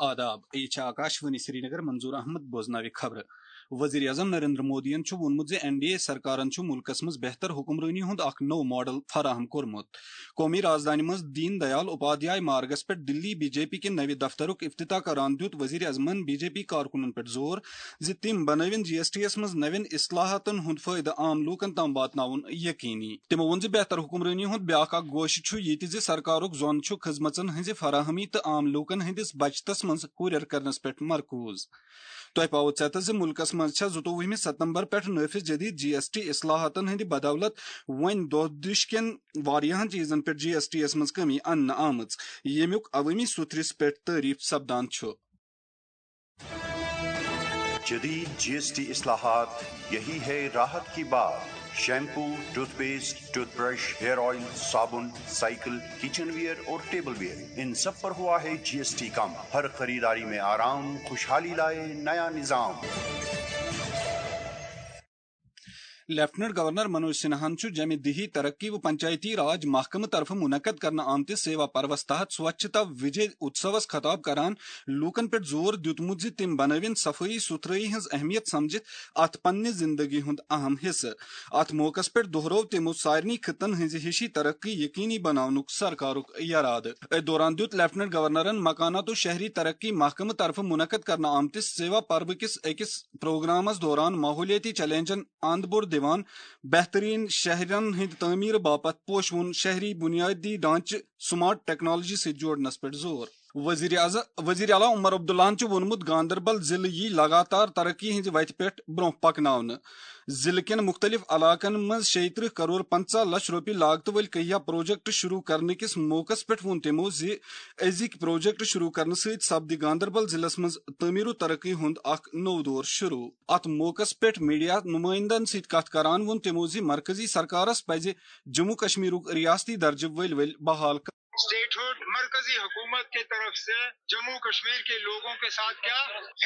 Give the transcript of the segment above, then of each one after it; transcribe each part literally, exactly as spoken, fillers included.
آداب، یہِ چھِ آکاش وانی سرینگر، منظور احمد بوزناوِ خبرٕ۔ وزیر اعظم نریندر مودیَن چھُ ووٚنمُت زِ این ڈی اے سرکارَن چھُ مُلکَس منٛز بہتر حکمرٲنی ہُنٛد اکھ نوٚو ماڈل فراہم کوٚرمُت۔ قومی رازدانہِ منٛز دین دیال اپادھیائے مارگس پٮ۪ٹھ دِلی بی جے پی کہِ نَوِ دفترُک افتتاح کران دیُت وزیر اعظمَن بی جے پی کارکُنَن پٮ۪ٹھ زور زِ تِم بنٲوِن جی ایس ٹی یَس منٛز نَوٮ۪ن اصلاحاتَن ہُنٛد فٲیدٕ عام لوٗکَن تام واتناوُن یقینی۔ تِمَو ووٚن زِ بہتر حکمرٲنی ہُنٛد بیٛاکھ اکھ گوشہٕ چھُ یہِ تہِ زِ سرکارُک زون چھُ خدمژن ہٕنٛزِ فراہمی تہٕ عام لوٗکَن ہٕنٛدِس بچتَس منٛز ہُرٮ۪ر کرنَس پٮ۪ٹھ مرکوز۔ تۄہہِ پاوو ژیتس زِ مُلکَس منٛز چھےٚ زٕتووُہمہِ ستمبر پٮ۪ٹھ نٲفذ جدید جی ایس ٹی اصلاحاتَن ہٕنٛدِ بدولت وۄنۍ دۄہ دِش کٮ۪ن واریاہَن چیٖزَن پٮ۪ٹھ جی ایس ٹی یَس منٛز کمی اننہٕ آمٕژ، ییٚمیُک عوٲمی سُتھرِس پٮ۪ٹھ تعریف سپدان چھُ۔ جدید جی ایس ٹی اصلاحات، یہی ہے راحت کی بات۔ Shampoo, toothpaste, toothbrush, hair oil, صابن، سائیکل، کچن ویئر اور ٹیبل ویئر، ان سب پر ہوا ہے جی ایس ٹی کم۔ ہر خریداری میں آرام، خوشحالی لائے نیا نظام۔ لیفٹیننٹ گورنر منوج سنہاہن چھُ جمع دیہی ترقی و پنچایتی راج محکمہٕ طرفہٕ منعقد کرنہٕ آمتِس سیوا پروس تحت سوچھتا وجے اتسوس خطاب کران لوٗکن پٮ۪ٹھ زور دیُتمُت زِ تِم بنٲوِن صفٲیی سُتھرٲیی ہٕنٛز اہمیت سمجھِتھ اتھ پننہِ زندگی ہُنٛد اہم حصہٕ۔ اتھ موقعس پٮ۪ٹھ دۄہرٲو تِمو سارنٕے خطن ہٕنٛزِ ہِشی ترقی یقینی بناونُک سرکارُک یرادٕ۔ أتھۍ دوران دیُت لیفٹیننٹ گورنرن مکانات و شہری ترقی محکمہٕ طرفہٕ منعقد کرنہٕ آمتِس سیوا پروٕ کِس أکِس پروگرامس دوران ماحولیٲتی چیلنجن اند بوٚڑ دِوان بہترین شہرن ہٕنٛدِ تعمیٖر باپتھ پوشوُن شہری بنیٲدی ڈھانچہٕ سمارٹ ٹیکنالوجی سۭتۍ جوڑنس پٮ۪ٹھ زور۔ وزیر اعظم وزیر اعلیٰ عمر عبداللہن چھُ ووٚنمُت، گاندربل ضلعہٕ یی لگاتار ترقی ہٕنٛزِ وتہِ پٮ۪ٹھ برونٛہہ پکناونہٕ۔ ضلعہٕ کٮ۪ن مُختٔلِف علاقن منٛز شیٚیہِ ترٕٛہ کرور پنٛژاہ لچھ رۄپیہِ لاگتہٕ وٲلۍ کہیا پروجیکٹ شروع کرنہٕ کِس موقعس پٮ۪ٹھ ووٚن تِمو زِ أزِکۍ پروجیکٹ شروع کرنہٕ سۭتۍ سپدِ گاندربل ضلعس منٛز تعمیٖر و ترقی ہُنٛد اکھ نوٚو دور شروع۔ اتھ موقعس پٮ۪ٹھ میڈیا نمائندن سۭتۍ کتھ کران ووٚن تِمو زِ مرکزی سرکارس پزِ جموں کشمیرُک ریاستی درجہٕ ؤلۍ ؤلۍ بحال کرُن۔ اسٹیٹ ہڈ مرکزی حکومت کے طرف سے جموں کشمیر کے لوگوں کے ساتھ کیا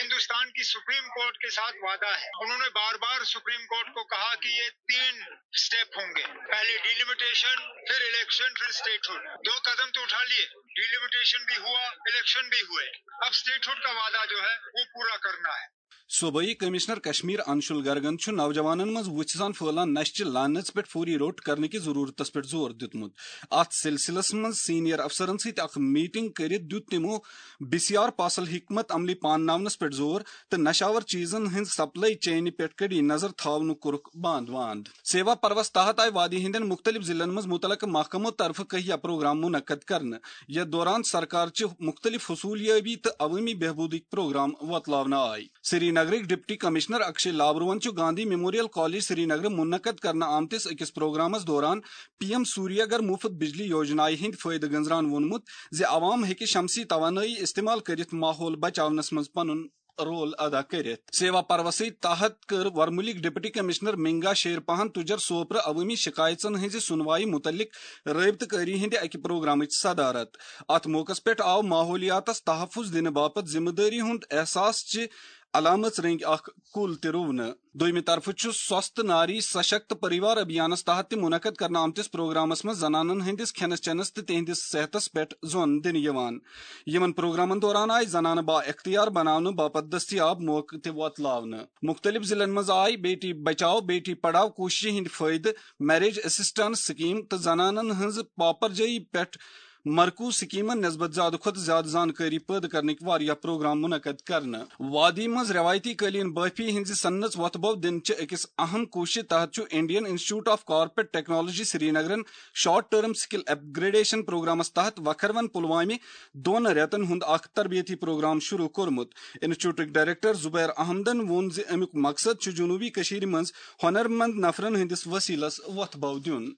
ہندوستان کی سپریم کورٹ کے ساتھ وعدہ ہے۔ انہوں نے بار بار سپریم کورٹ کو کہا کہ یہ تین اسٹیپ ہوں گے، پہلے ڈیلیمیٹیشن، پھر الیکشن، پھر اسٹیٹ ہڈ۔ دو قدم تو اٹھا لیے، ڈیلیمیٹیشن بھی ہوا، الیکشن بھی ہوئے، اب اسٹیٹ ہڈ کا وعدہ جو ہے وہ پورا کرنا ہے۔ صوبائی کمشنر کشمیر انشول گرگن چھُ نوجوانن منٛز وُژھِ سان پھٲلان نشہٕ چہِ لعنژ پٮ۪ٹھ فوری روٚٹ کرنہٕ کِس ضروٗرتس پٮ۪ٹھ زور دیُتمُت۔ اتھ سلسلس منٛز سینئر افسرن سۭتۍ اکھ میٹنگ کٔرِتھ دیُت تِمو بی سی آر پاسل حکمت عملی پانناونس پٮ۪ٹھ زور تہٕ نشاور چیزن ہٕنٛز سپلائی چینہِ پٮ۪ٹھ کڑی نظر تھاونُک کوٚرُکھ باند واند۔ سیوا پروس تحت آیہِ وادی ہٕنٛدٮ۪ن مُختٔلِف ضلعن منٛز مُتعلقہٕ محکمو طرفہٕ کہیا پروگرام منعقد کرنہٕ، یتھ دوران سرکار چہِ مُختٔلِف حصوٗلیٲبی تہٕ عوٲمی بہبوٗدٕکۍ پروگرام وۄتلاونہٕ آیہِ۔ سری نگرٕکۍ ڈپٹی کمشنر اکشے لابروہن چھُ گاندھی میموریل کالج سری نگرٕ منعقد کرنہٕ آمتِس أکِس پروگرامس دوران پی ایم سوریہ گھر مُفت بجلی یوجنایہِ ہٕنٛدۍ فٲیدٕ گٔنزران ووٚنمُت زِ عوام ہیٚکہِ شمسی توانٲیی استعمال کٔرِتھ ماحول بچاونس منٛز پنُن رول ادا کٔرِتھ۔ سیوا پروسٕے تحت کٔر ورمُلٕکۍ ڈپٹی کمشنر منگا شیر پہن تُجر سوپرٕ عوٲمی شکایژن ہٕنٛزِ سُنوایہِ مُتعلق رٲبطہٕ کٲری ہٕنٛدِ اکہِ پروگرامٕچ صدارت۔ اتھ موقعس پٮ۪ٹھ آو ماحولیاتس تحفظ دِنہٕ باپتھ ذمہٕ دٲری ہُنٛد احساس چہِ علامژ رٔنگۍ اکھ کُل تہِ رُونہٕ۔ دوٚیمہِ طرفہٕ چھُ سوستھ ناری سشکت پریوار ابھیانس تحت تہِ منعقد کرنہٕ آمتِس پروگرامس منٛز زنانن ہٕنٛدِس کھٮ۪نس چٮ۪نس تہٕ تِہنٛدِس صحتس پٮ۪ٹھ زون دِنہٕ یِوان۔ یِمن پروگرامن دوران آیہِ زنانہٕ با اختیار بناونہٕ باپتھ دٔستیاب موقعہٕ تہِ وۄتلاونہٕ۔ مُختٔلِف ضلعن منٛز آیہِ بیٹی بچاو بیٹی پڑھاو کوٗششہِ ہٕنٛدۍ فٲیدٕ، میریج اسسٹنس سکیٖم تہٕ زنانن ہٕنٛز پاپرجٲیی پٮ۪ٹھ مرکوز سکیمن نسبت زیادٕ کھۄتہٕ زیادٕ زانکٲری پٲدٕ کرنٕکۍ واریاہ پروگرام منعقد کرنہٕ۔ وادی منٛز روایتی قٲلیٖن بٲفی ہٕنٛزِ صنعژ وۄتھٕ بو دِنہٕ چہِ أکِس اہم کوٗششہِ تحت چھُ Indian institute of corporate technology سری نگرن short term skill upgradation programmes تحت وکھروَن پلوامہِ دۄن رٮ۪تن ہُنٛد اکھ تربیتی پروگرام شروع کوٚرمُت۔ انسٹیٹیوٹٕکۍ ڈائریکٹر زبیر احمدن ووٚن زِ امیُک مقصد چھُ جنوبی کٔشیٖرِ منٛز ہۄنرمند نفرن ہٕنٛدِس وسیلس وۄتھٕ بو دیُن۔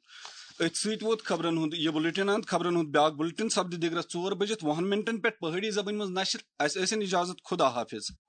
أتھۍ سۭتۍ ووت خبرن ہُنٛد یہِ بُلٹن اند۔ خبرن ہُنٛد بیٛاکھ بُلٹن سپدِ دِگرس ژور بجِتھ وُہن منٹن پٮ۪ٹھ پہٲڑی زبٲنۍ منٛز نشر۔ اسہِ ٲسِن اجازت، خدا حافظ۔